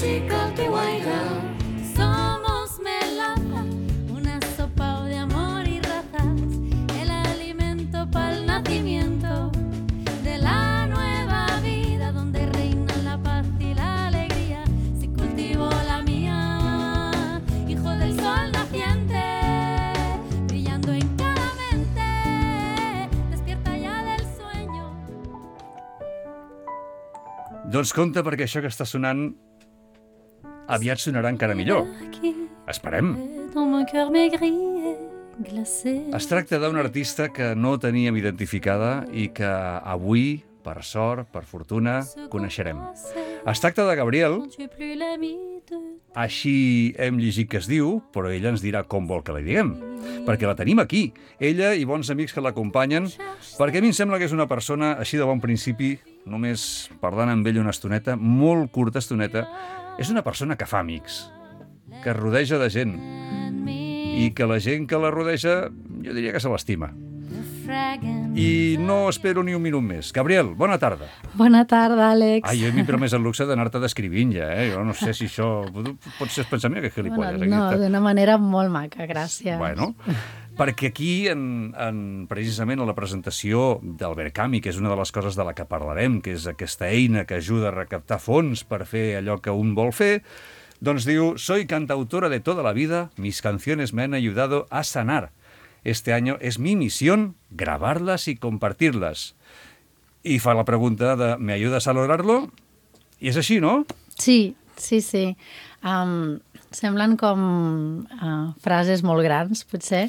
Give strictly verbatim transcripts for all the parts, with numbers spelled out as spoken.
musical que guaira. Somos melaza, una sopa de amor y razas, el alimento para el nacimiento de la nueva vida, donde reinan la paz y la alegría. Si cultivo la mía, hijo del sol naciente, brillando en cada mente, despierta ya del sueño. Doncs compte, perquè això que està sonant aviat sonarà encara millor. Esperem. Dans mon cœur maigri et glacé. Es tracta d'una artista que no teníem identificada i que avui, per sort, per fortuna, coneixerem. Es tracta de Gabriel, Tu es plus l'ami de així hem llegit que es diu, però ella ens dirà com vol que la diguem. Perquè la tenim aquí, ella i bons amics que l'acompanyen, perquè a mi em sembla que és una persona així de bon principi, només parlant amb ell una estoneta, molt curta estoneta, és una persona que fa amics, que es rodeja de gent, i que la gent que la rodeja, jo diria que se l'estima. fragrant. I no espero ni un minut més. Gabriel, bona tarda. Bona tarda, Àlex. Ai, jo m'he promès el luxe d'anar-te descrivint ja, eh? Jo no sé si això... Potser es pensa, mira que gilipolles. Bueno, no, d'una manera molt maca, gràcies. Bueno, perquè aquí, en, en, precisament a la presentació del Verkami, que és una de les coses de la que parlarem, que és aquesta eina que ajuda a recaptar fons per fer allò que un vol fer, doncs diu: soy cantautora de toda la vida, mis canciones me han ayudado a sanar. Este año es mi misión grabarlas y compartirlas. I fa la pregunta de ¿me ayudas a lograrlo? I és així, no? Sí, sí, sí. Um, semblen com uh, frases molt grans, potser,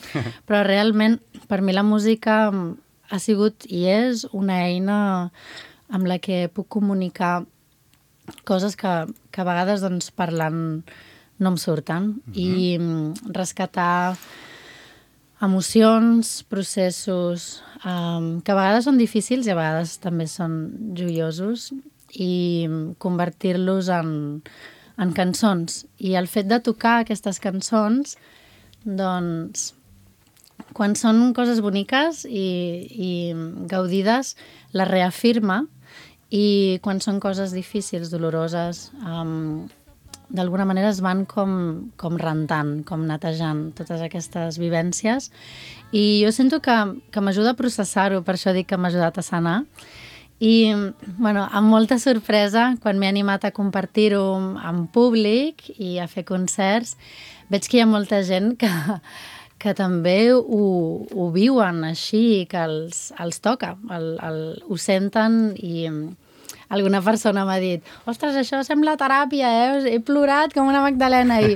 però realment per mi la música um, ha sigut i és una eina amb la que puc comunicar coses que, que a vegades doncs, parlant no em surten. Mm-hmm. I um, rescatar emocions, processos um, que a vegades són difícils i a vegades també són joiosos, i convertir-los en, en cançons. I el fet de tocar aquestes cançons, doncs, quan són coses boniques i, i gaudides, les reafirma, i quan són coses difícils, doloroses, um, d'alguna manera es van com, com rentant, com netejant totes aquestes vivències. I jo sento que, que m'ajuda a processar-ho, per això dic que m'ha ajudat a sanar. I, bueno, amb molta sorpresa, quan m'he animat a compartir-ho en públic i a fer concerts, veig que hi ha molta gent que, que també ho, ho viuen així, que els, els toca, el, el, ho senten. I alguna persona m'ha dit: ostres, això sembla teràpia, eh? He plorat com una Magdalena. I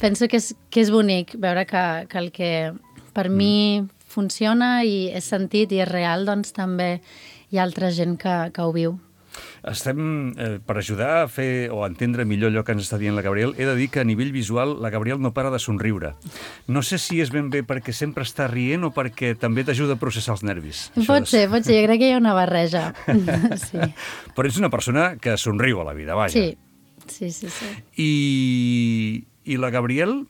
penso que és, que és bonic veure que, que el que per mm. mi funciona i és sentit i és real, doncs també hi ha altra gent que, que ho viu. Estem, eh, per ajudar a fer o a entendre millor allò que ens està dient la Gabriel, he de dir que a nivell visual la Gabriel no para de somriure. No sé si és ben bé perquè sempre està rient o perquè també t'ajuda a processar els nervis. Pot ser, pot ser, jo crec que hi ha una barreja. Sí. Però ets una persona que somriu a la vida, vaja. Sí, sí, sí. sí. I, i la Gabriel...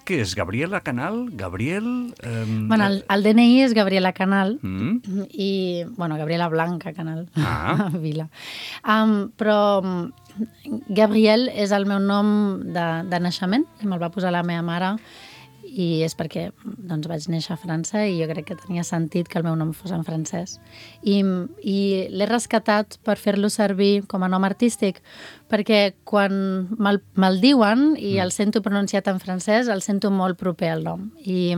Què és? Gabriela Canal? Gabriel... Eh... Bueno, el, el D N I és Gabriela Canal mm. i, bueno, Gabriela Blanca Canal, ah. Vila. Um, però Gabriel és el meu nom de, de naixement, i me'l va posar la meva mare, i és perquè doncs, vaig néixer a França i jo crec que tenia sentit que el meu nom fos en francès. I, i l'he rescatat per fer-lo servir com a nom artístic, perquè quan me'l, me'l diuen i el sento pronunciat en francès, el sento molt proper al nom. I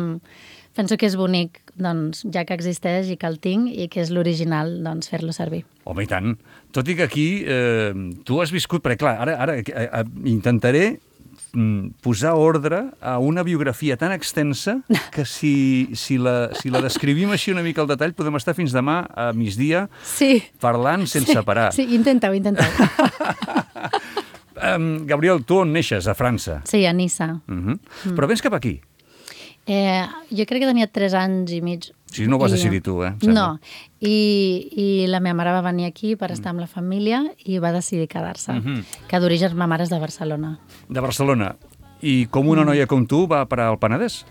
penso que és bonic, doncs, ja que existeix i que el tinc i que és l'original, doncs, fer-lo servir. Home, i tant. Tot i que aquí eh, tu has viscut... Perquè, clar, ara, ara eh, intentaré posar ordre a una biografia tan extensa que si, si, la, si la descrivim així una mica al detall podem estar fins demà a migdia sí. parlant sense sí. parar. Sí, intenta-ho, intenta-ho. um, Gabriel, tu on neixes? A França? Sí, a Niça. Uh-huh. Mm. Però vens cap aquí? Eh, jo crec que tenia tres anys i mig. Sí, no ho vas I, decidir tu, eh? No, I, i la meva mare va venir aquí per estar amb la família i va decidir quedar-se, uh-huh. que d'origen ma mare és de Barcelona. De Barcelona. I com una noia com tu va parar al Penedès?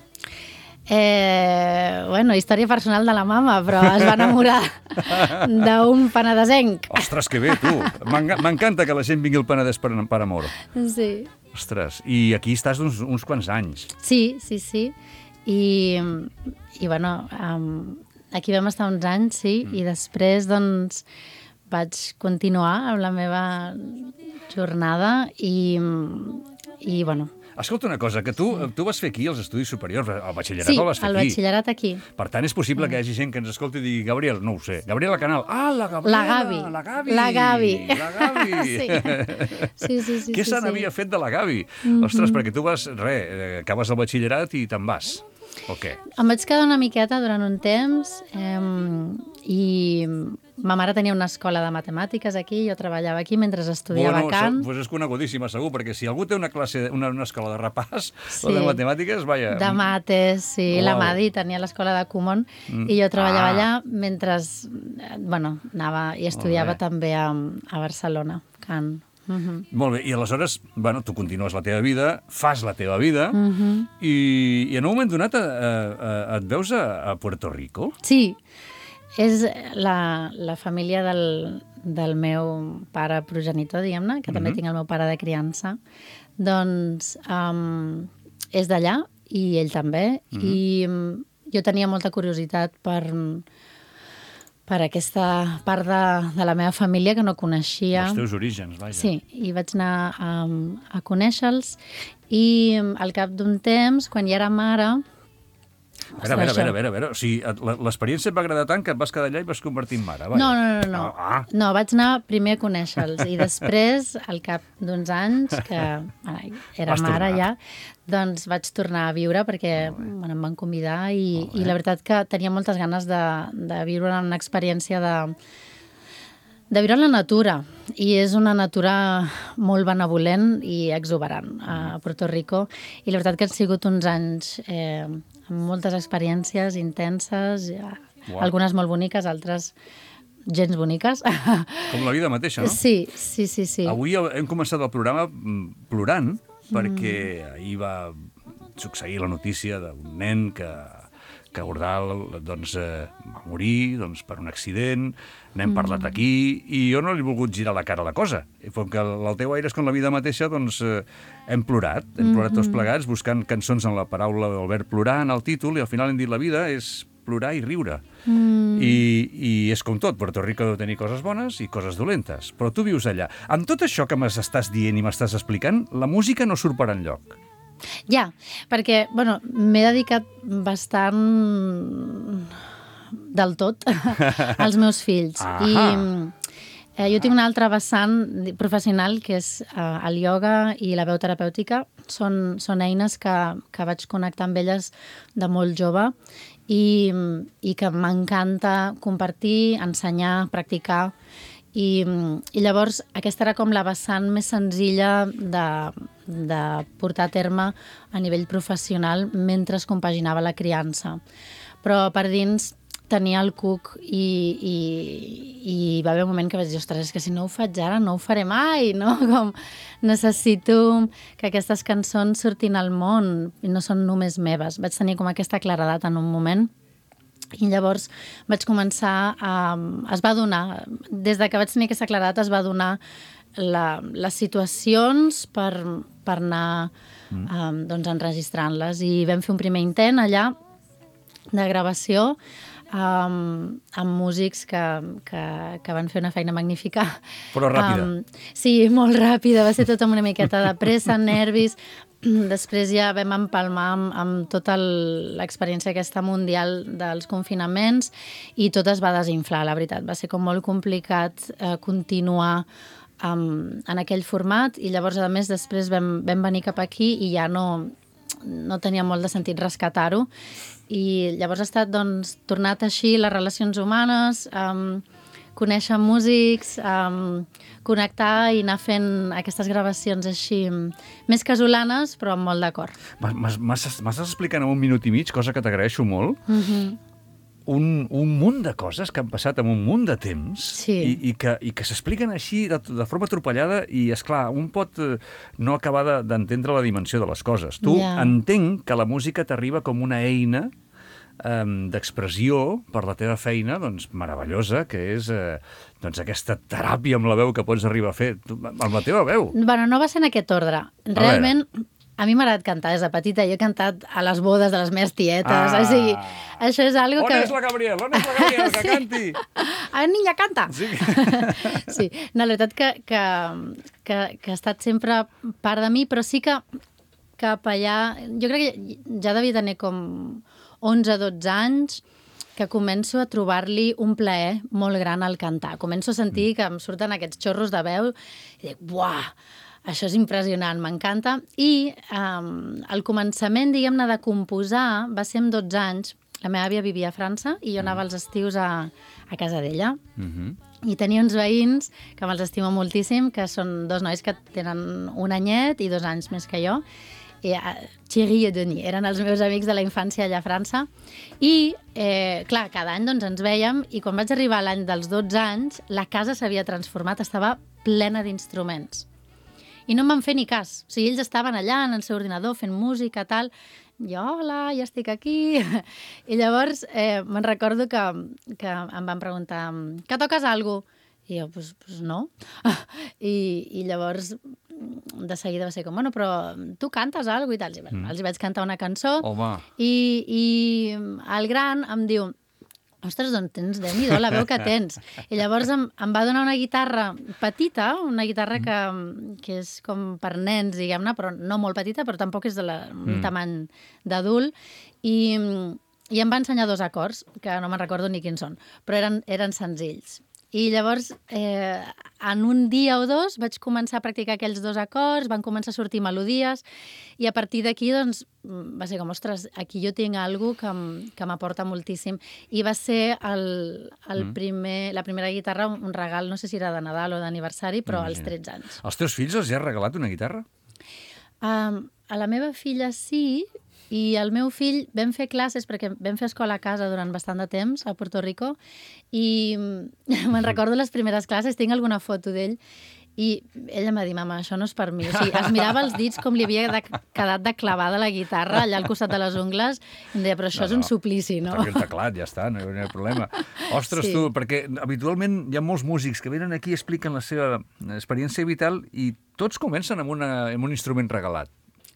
Eh, bueno, història personal de la mama, però es va enamorar d'un penedesenc. Ostres, que bé, tu. M'enga- M'encanta que la gent vingui al Penedès per, per amor. Sí. Ostres, i aquí estàs uns, uns quants anys. Sí, sí, sí. I, i bueno, um, aquí vam estar uns anys, sí, mm. i després, doncs, vaig continuar amb la meva jornada i, i bueno... Escolta una cosa, que tu, sí. tu vas fer aquí els estudis superiors, el batxillerat sí, el vas fer el aquí. batxillerat aquí. Per tant, és possible que hi hagi gent que ens escolti i digui Gabriel, no ho sé, Gabriela Canal. Ah, la Gabriela! La Gavi. La Gavi! La Gavi. La Gavi. Sí. Sí, sí, sí. Què sí, se sí. n'havia fet de la Gavi? Mm -hmm. Ostres, perquè tu vas, re, acabes el batxillerat i te'n vas. O què? Em vaig quedar una miqueta durant un temps eh, i ma mare tenia una escola de matemàtiques aquí, jo treballava aquí mentre estudiava bueno, cant. Bueno, és conegudíssima, segur, perquè si algú té una classe, una, una escola de repàs, Sí. o de matemàtiques, vaja... De mates, sí. Uau. La Madi tenia l'escola de Kumon Mm. i jo treballava Ah. allà mentre, eh, bueno, anava i estudiava Molt bé. també a, a Barcelona, cant. Mhm. Molt bé, i aleshores, bueno, tu continues la teva vida, fas la teva vida, Mhm. i, i en un moment donat eh, eh, et veus a, a Puerto Rico? Sí, és la, la família del, del meu pare progenitor, diguem-ne, que també Mhm. tinc el meu pare de criança, doncs um, és d'allà i ell també, Mhm. i um, jo tenia molta curiositat per, per aquesta part de, de la meva família que no coneixia. Els teus orígens, vaja. Sí, i vaig anar a, a conèixer-los i um, al cap d'un temps, quan ja era mare... A veure, a veure, a veure, a veure, a veure. O sigui, et- la- l'experiència et va agradar tant que et vas quedar allà i vas convertir en mare, vaja. No, no, no, no. Ah, No, vaig anar primer a conèixer-los i després, al cap d'uns anys, que ai, era Vas mare tornar. ja, doncs vaig tornar a viure perquè bueno, em van convidar i, i la veritat que tenia moltes ganes de, de viure una experiència de, de viure en la natura. I és una natura molt benevolent i exuberant a Puerto Rico. I la veritat que han sigut uns anys eh, amb moltes experiències intenses, ja, Uau. algunes molt boniques, altres gens boniques. Com la vida mateixa, no? Sí, sí, sí, sí. Avui el- hem començat el programa mm, plorant, perquè ahir va succeir la notícia d'un nen que, que Ordal doncs, eh, va morir doncs, per un accident, n'hem parlat aquí, i jo no li he volgut girar la cara a la cosa. I com que el teu aire és com la vida mateixa, doncs eh, hem plorat, hem plorat tots plegats, buscant cançons en la paraula del verb plorar en el títol, i al final hem dit la vida és plorar i riure. Mm. I, I és com tot, Puerto Rico deu tenir coses bones i coses dolentes, però tu vius allà. Amb tot això que m'estàs dient i m'estàs explicant, la música no surt per enlloc. Ja, perquè, bueno, m'he dedicat bastant del tot als meus fills. Ahà. I eh, jo tinc una altra vessant professional, que és eh, el ioga i la veu terapèutica. Són, són eines que, que vaig connectar amb elles de molt jove i, i que m'encanta compartir, ensenyar, practicar. I, I llavors aquesta era com la vessant més senzilla de, de portar a terme a nivell professional mentre es compaginava la criança. Però per dins tenia el cuc i, i, i va haver un moment que vaig dir, ostres, és que si no ho faig ara no ho faré mai, no? Com necessito que aquestes cançons surtin al món i no són només meves. Vaig tenir com aquesta claredat en un moment. I llavors vaig començar a... Es va donar, des de que vaig tenir aquesta claredat, es va donar la, les situacions per, per anar mm. um, doncs, enregistrant-les. I vam fer un primer intent allà de gravació um, amb músics que, que, que van fer una feina magnífica. Però ràpida. Um, sí, molt ràpida. Va ser tot amb una miqueta de pressa, nervis. Després ja vam empalmar amb, amb tota l'experiència aquesta mundial dels confinaments i tot es va desinflar, la veritat. Va ser com molt complicat eh, continuar um, en aquell format i llavors, a més, després vam, vam venir cap aquí i ja no, no tenia molt de sentit rescatar-ho. I llavors ha estat, doncs, tornat així les relacions humanes, um, conèixer músics, um, connectar i anar fent aquestes gravacions així més casolanes, però amb molt d'acord. M'estàs explicant en un minut i mig, cosa que t'agraeixo molt. Mm-hmm. un, un munt de coses que han passat en un munt de temps Sí. i, i que, i que s'expliquen així de, de forma atropellada i, és clar, un pot eh, no acabar de- d'entendre la dimensió de les coses. Tu Ja. entenc que la música t'arriba com una eina um, d'expressió per la teva feina, doncs, meravellosa, que és eh, doncs, aquesta teràpia amb la veu que pots arribar a fer tu, amb la teva veu. Bueno, no va ser en aquest ordre. Realment, a mi m'ha agradat cantar des de petita. Jo he cantat a les bodes de les meves tietes. Ah. O sigui, això és algo On que... és la Gabriel? On és la Gabriel? Que Sí. canti! A veure, niña, canta! Sí. Sí, no, la veritat que, que, que, que ha estat sempre part de mi, però sí que cap allà... Jo crec que ja devia tenir com onze dotze anys que començo a trobar-li un plaer molt gran al cantar. Començo a sentir que em surten aquests xorros de veu i dic, buah, això és impressionant, m'encanta. I um, el començament, diguem-ne, de composar va ser amb dotze anys. La meva àvia vivia a França i jo anava als estius a, a casa d'ella. Mhm. I tenia uns veïns que me'ls estimo moltíssim, que són dos nois que tenen un anyet i dos anys més que jo. I, uh, Thierry i Denis eren els meus amics de la infància allà a França. I, eh, clar, cada any doncs, ens vèiem i quan vaig arribar a l'any dels dotze anys, la casa s'havia transformat, estava plena d'instruments. I no em van fer ni cas. O sigui, ells estaven allà en el seu ordinador fent música, tal. Jo, hola, ja estic aquí. I llavors eh, me'n recordo que, que em van preguntar que toques alguna cosa? I jo, doncs pues, pues no. I, I llavors de seguida va ser com, bueno, però tu cantes alguna cosa i tal. I, bueno, mm. els vaig cantar una cançó. Home. I, I el gran em diu, ostres, doncs tens, Déu-n'hi-do, la veu que tens. I llavors em, em va donar una guitarra petita, una guitarra que, que és com per nens, diguem-ne, però no molt petita, però tampoc és de la, un Mm. tamany d'adult. I, I em va ensenyar dos acords, que no me'n recordo ni quins són, però eren, eren senzills. I llavors, eh, en un dia o dos, vaig començar a practicar aquells dos acords, van començar a sortir melodies, i a partir d'aquí, doncs, va ser com, ostres, aquí jo tinc alguna cosa que, m- que m'aporta moltíssim. I va ser el, el Mm. primer, la primera guitarra, un regal, no sé si era de Nadal o d'aniversari, però als Imagina't. tretze anys. Als teus fills els hi has regalat una guitarra? Um, a la meva filla sí, i el meu fill vam fer classes, perquè vam fer escola a casa durant bastant de temps, a Puerto Rico, i me'n recordo les primeres classes, tinc alguna foto d'ell, i ella em va dir, mama, això no és per mi. O sigui, es mirava els dits com li havia de, quedat de clavada la guitarra allà al costat de les ungles, i em deia, però això No, és un no. suplici, no? Toqui el teclat, ja està, no hi ha problema. Ostres, Sí. tu, perquè habitualment hi ha molts músics que venen aquí i expliquen la seva experiència vital i tots comencen amb, una, amb un instrument regalat.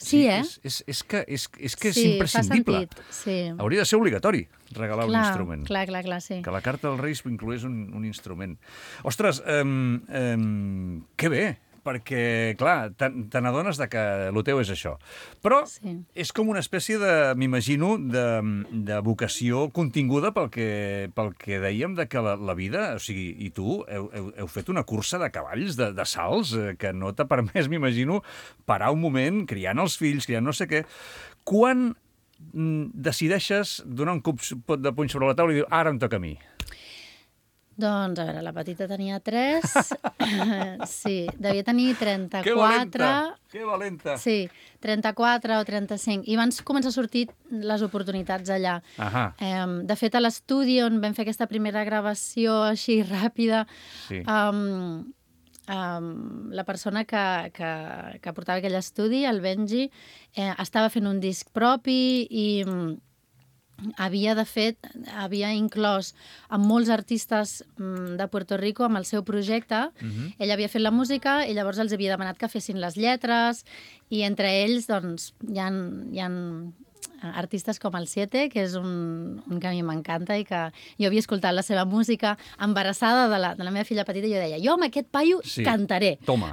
Sí, eh? És, és, és que és, és, que és Sí, imprescindible. fa sentit, sí. Hauria de ser obligatori regalar un Clar, instrument. clar, clar, clar, sí. Que la carta dels Reis incloés un, un instrument. Ostres, um, um, que bé, perquè, clar, te, te n'adones de que el teu és això. Però Sí. és com una espècie de, m'imagino, de, de vocació continguda pel que, pel que dèiem de que la, la vida, o sigui, i tu heu, heu, heu fet una cursa de cavalls, de, de salts, eh, que no t'ha permès, m'imagino, parar un moment, criant els fills, criant no sé què. Quan mm, decideixes donar un cop de puny sobre la taula i dir, ara em toca a mi? Doncs, a veure, la petita tenia tres, sí, devia tenir Que trenta-quatre... valenta! Que valenta! Sí, trenta-quatre o trenta-cinc. I van començar a sortir les oportunitats allà. Ahà. Eh, de fet, a l'estudi on vam fer aquesta primera gravació així ràpida, Sí. um, um, la persona que, que, que portava aquell estudi, el Benji, eh, estava fent un disc propi i mm, havia, de fet, havia inclòs amb molts artistes mm, de Puerto Rico amb el seu projecte. Mhm. Ell havia fet la música i llavors els havia demanat que fessin les lletres i entre ells doncs, hi ha, hi ha artistes com el Siete, que és un, un que a mi m'encanta i que jo havia escoltat la seva música embarassada de la, de la meva filla petita i jo deia, jo amb aquest paio Sí. cantaré. Toma,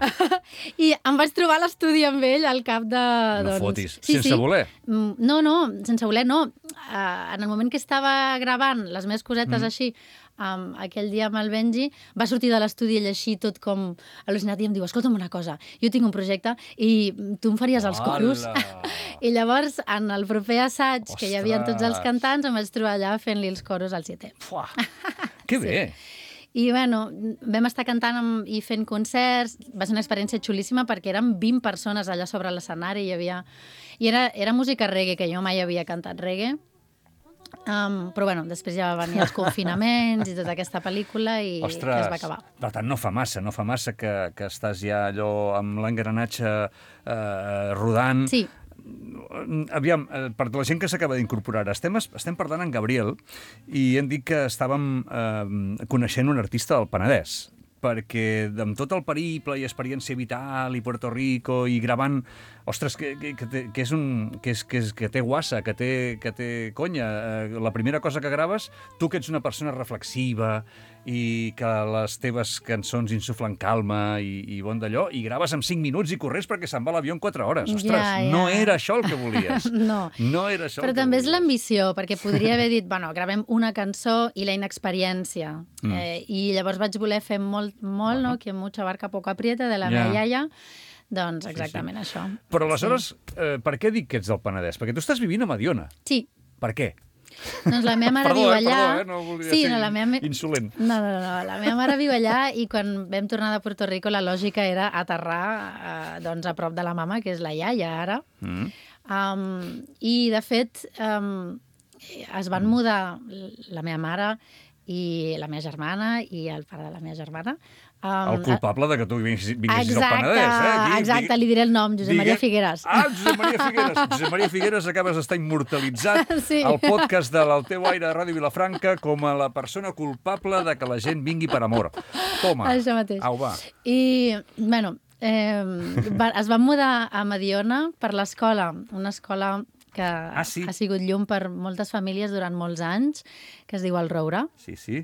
I em vaig trobar a l'estudi amb ell al cap de... no doncs... fotis. Sense voler. Mm, No, no, sense voler, no. Uh, en el moment que estava gravant les meves cosetes mm. així, um, aquell dia amb el Benji, va sortir de l'estudi ell així tot com al·lucinat i em diu, escolta'm una cosa, jo tinc un projecte i tu em faries els coros? Hola! I llavors, en el proper assaig, que hi havia tots els Ostres! cantants, em vaig trobar allà fent-li els coros al Siete. Fuà, que bé! I, bueno, vam estar cantant amb, i fent concerts. Va ser una experiència xulíssima perquè eren vint persones allà sobre l'escenari. Hi havia... I era, era música reggae, que jo mai havia cantat reggae. Um, però bueno, després ja va venir els confinaments i tota aquesta pel·lícula i Ostres, que es va acabar. Per tant, no fa massa, no fa massa que, que estàs ja allò amb l'engranatge eh, rodant. Sí. Aviam, per la gent que s'acaba d'incorporar, estem, estem parlant amb Gabriel i hem dit que estàvem eh, coneixent un artista del Penedès, perquè amb tot el periple i experiència vital i Puerto Rico i gravant, ostres, que, que, que, té, que és un que, és, que, és, que té guassa, que té, que té conya. Eh, la primera cosa que graves, tu que ets una persona reflexiva i que les teves cançons insuflen calma i, i bon d'allò, i graves en cinc minuts i corres perquè se'n va l'avió en quatre hores. Ostres, ja, ja. no era això el que volies. No. No era això Però el que també és volies. l'ambició, perquè podria haver dit, bueno, gravem una cançó i la inexperiència. Mm. Eh, I llavors vaig voler fer molt, molt, bueno. no? Que mucha barca poco aprieta, de la Ja. meva iaia. Doncs exactament sí, sí. això. Però aleshores, Sí. eh, per què dic que ets del Penedès? Perquè tu estàs vivint a Mediona. Sí. Per què? Doncs la meva mare Perdó, viu eh, allà... perdó, eh, no volia sí, ser no, la meva... insolent. No, no, no, la meva mare viu allà i quan vam tornar de Puerto Rico la lògica era aterrar eh, doncs, a prop de la mama, que és la iaia ara. Mm. Um, I, de fet, um, es van mudar la meva mare i la meva germana i el pare de la meva germana. Um, El culpable de que tu vinguessis, vinguessis exacte, al Penedès, eh? Aquí, exacte, li diré el nom, Josep digue... Maria Figueres. Ah, Josep Maria Figueres. Josep Maria Figueres, acabes d'estar immortalitzat Sí. al podcast de l'El teu aire de Ràdio Vilafranca com a la persona culpable de que la gent vingui per amor. Toma. Això mateix. Au, va. I, bueno, eh, va, es van mudar a Mediona per l'escola, una escola que Ah, sí? ha sigut llum per moltes famílies durant molts anys, que es diu el Roure. Sí, sí.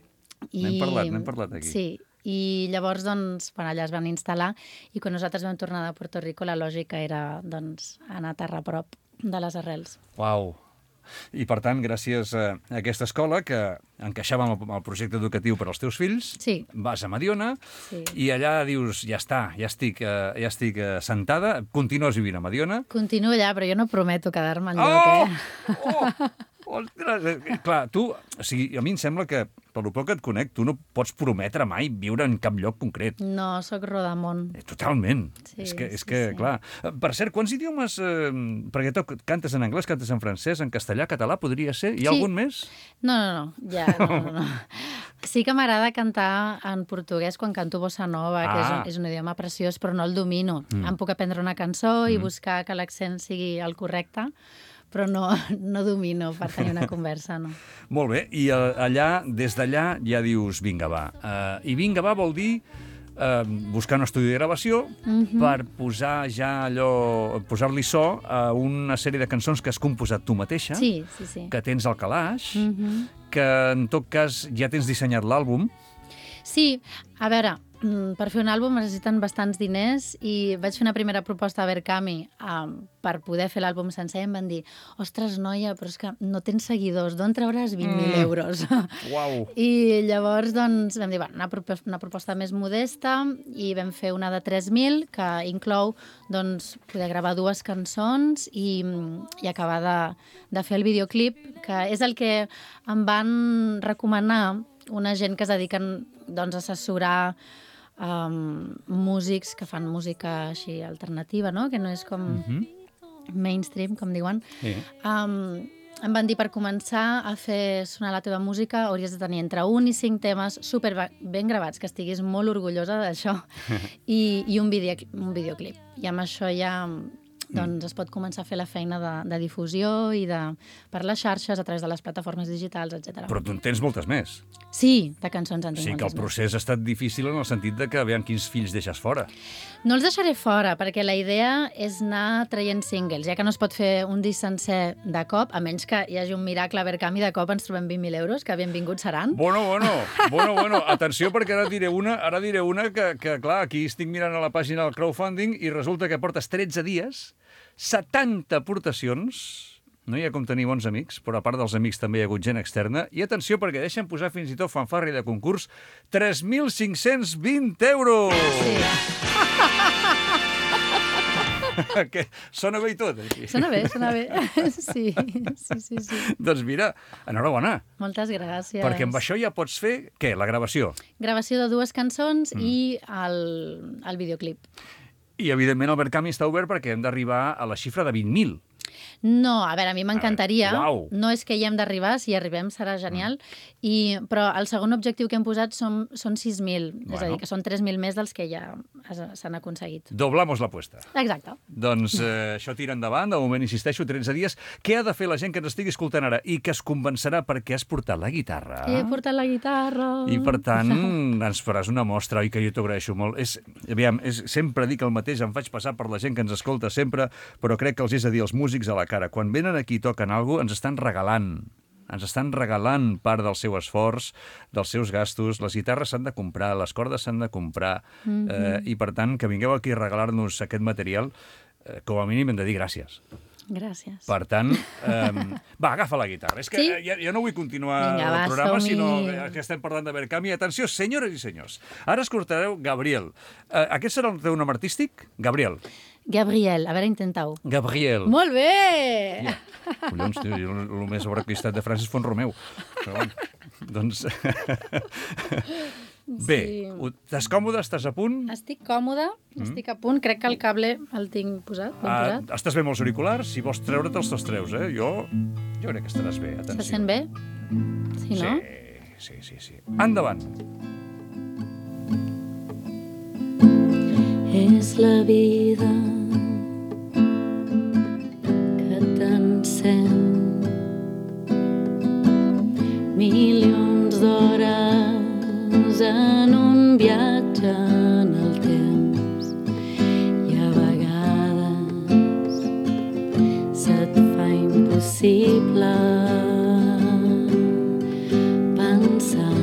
N'hem parlat, n'hem parlat aquí. Sí, i llavors, doncs, bueno, allà es van instal·lar i quan nosaltres vam tornar de Puerto Rico la lògica era, doncs, anar a terra a prop de les arrels. Uau. I, per tant, gràcies a aquesta escola que encaixava amb el projecte educatiu per als teus fills, Sí. vas a Mediona Sí. i allà dius, ja està, ja estic, eh, ja estic eh, sentada, continues vivint a Mediona. Continuo allà, però jo no prometo quedar-me Oh! enlloc, eh? Oh! Ostres! Eh, Clar, tu, o sigui, a mi em sembla que, per lo poc que et conec, tu no pots prometre mai viure en cap lloc concret. No, sóc rodamont. Eh, Totalment. Sí, és que, és sí, que sí. clar... Eh, Per cert, quants idiomes... Eh, perquè tu cantes en anglès, cantes en francès, en castellà, català, podria ser? Hi ha Sí. algun més? No, no, no, ja, no, no, no. Sí que m'agrada cantar en portuguès quan canto bossa nova, que és Ah. un, és un idioma preciós, però no el domino. Mm. Em puc aprendre una cançó i mm. buscar que l'accent sigui el correcte, però no, no domino per tenir una conversa, no. Molt bé, i eh, allà, des d'allà, ja dius, vinga, va. Uh, I vinga, va vol dir uh, buscar un estudi de gravació Mhm. per posar ja allò, posar-li so a una sèrie de cançons que has composat tu mateixa, Sí, sí, sí. que tens al calaix, Mhm. que en tot cas ja tens dissenyat l'àlbum. Sí, a veure, mm, per fer un àlbum necessiten bastants diners i vaig fer una primera proposta a Berkami um, per poder fer l'àlbum sencer i em van dir, ostres, noia, però és que no tens seguidors, d'on trauràs vint mil Mm. euros? Uau! I llavors doncs, vam dir, bueno, una, propo una proposta més modesta i vam fer una de tres mil que inclou doncs, poder gravar dues cançons i, i acabar de, de fer el videoclip, que és el que em van recomanar una gent que es dediquen doncs, a assessorar um, músics que fan música així alternativa, no? Que no és com Mhm. mainstream, com diuen. Sí. Um, em van dir per començar a fer sonar la teva música hauries de tenir entre un i cinc temes super ben gravats, que estiguis molt orgullosa d'això, i, i un, video, un videoclip. I amb això ja doncs, es pot començar a fer la feina de, de difusió i de, per les xarxes, a través de les plataformes digitals, etcètera. Però tu en tens moltes més. Sí, de cançons en tinc Sí que el moltes més. procés ha estat difícil en el sentit de que veiem quins fills deixes fora. No els deixaré fora, perquè la idea és anar traient singles, ja que no es pot fer un disc sencer de cop, a menys que hi hagi un miracle a Berkami, de cop ens trobem vint mil euros, que benvinguts seran. Bueno, bueno, bueno, bueno, atenció, perquè ara diré una, ara diré una que, que, clar, aquí estic mirant a la pàgina del crowdfunding i resulta que portes tretze dies, setanta aportacions, no hi ha com tenir bons amics, però a part dels amics també hi ha hagut gent externa, i atenció, perquè deixen posar fins i tot fanfarri de concurs, tres mil cinc-cents vint euros! Sí. Que sona bé i tot, aquí. Sona bé, sona bé. Sí, sí, sí, sí. Doncs mira, enhorabona, Moltes gràcies. perquè amb això ja pots fer, què, la gravació? Gravació de dues cançons Mm. i el, el videoclip. I, evidentment, el Berkami està obert perquè hem d'arribar a la xifra de vint mil. No, a veure, a mi m'encantaria. Uau! No és que hi hem d'arribar, si hi arribem serà genial, i, però el segon objectiu que hem posat són, són sis mil, Bueno. és a dir, que són tres mil més dels que ja es- s'han aconseguit. Doblamos l'apuesta. Exacte. Doncs eh, això tira endavant, de moment insisteixo, tretze dies. Què ha de fer la gent que ens estigui escoltant ara i que es convencerà perquè has portat la guitarra? He portat la guitarra. I, per tant, ens faràs una mostra, oi, que jo t'ho agraeixo molt. És, aviam, és, sempre dic el mateix, em faig passar per la gent que ens escolta sempre, però crec que els és a dir als músics a la cara. Quan venen aquí i toquen alguna cosa, ens estan regalant. Ens estan regalant part del seu esforç, dels seus gastos. Les guitarres s'han de comprar, les cordes s'han de comprar, mm-hmm. eh, i, per tant, que vingueu aquí a regalar-nos aquest material, eh, com a mínim hem de dir gràcies. Gràcies. Per tant, eh, va, agafa la guitarra. És que Sí? ja, ja no vull continuar Vinga, va, el programa, som-hi. sinó que estem parlant de Verkami. Atenció, senyores i senyors. Ara escoltareu Gabriel. Eh, aquest serà el teu nom artístic? Gabriel. Gabriel, a veure, intenta-ho. Gabriel. Molt bé! Ja. Collons, tio, jo el més sobrequistat de Francis Font-Romeu. Però, bueno, doncs... Bé, Sí. ho- estàs còmode? Estàs a punt? Estic còmode, estic a punt. Crec que el cable el tinc posat, ben Ah, posat. estàs bé amb els auriculars? Si vols treure'ls, te'ls treus, eh? Jo, jo crec que estaràs bé. Atenció. Se sent bé? Sí, no? Sí, sí, sí, sí. Endavant. És la vida que t'encén milions d'hores en un viatge en el temps i a vegades se't fa impossible pensar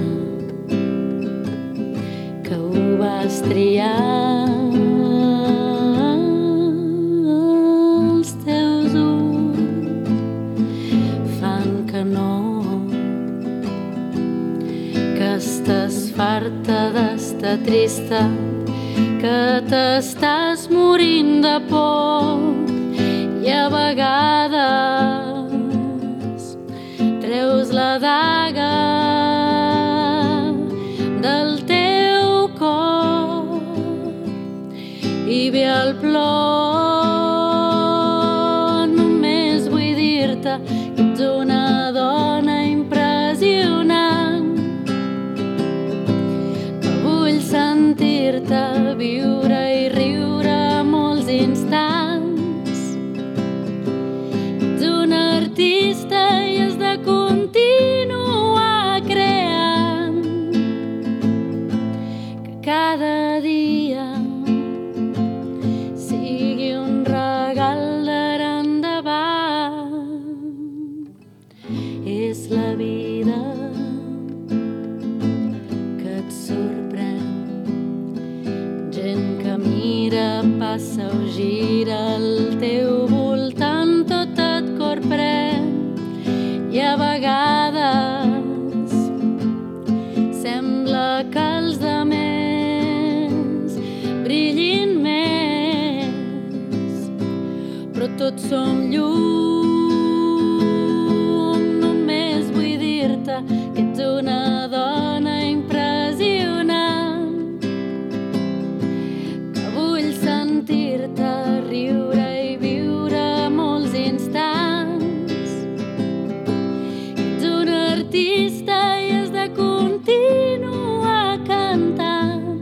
que ho vas triar. Els teus ulls fan que no, que estàs farta d'estar trista, que t'estàs morint de por i a vegades treus la daga del teu cor i ve el plor. Només vull dir-te que ets una dona impressionant, que vull sentir-te viure i riure molts instants. Ets un artista i has de continuar creant, que cada dia sigui un regal d'ara endavant. És la vida que et sorprèn, gent que mira, passa o gira al teu voltant, tot et corprèn i a vegades sembla que els de més brillin més, però tots som llum. Només vull dir-te que ets una dona impressionant, que vull sentir-te riure i viure molts instants. Ets un artista i has de continuar cantant,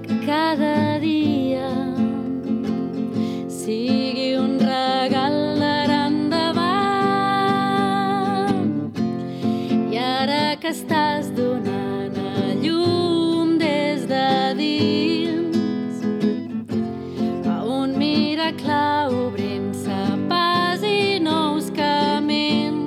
que cada dia sigui un regal d'ara endavant. I ara que estàs donant a llum des de dins, a un miracle obrint-se pas i nous camins.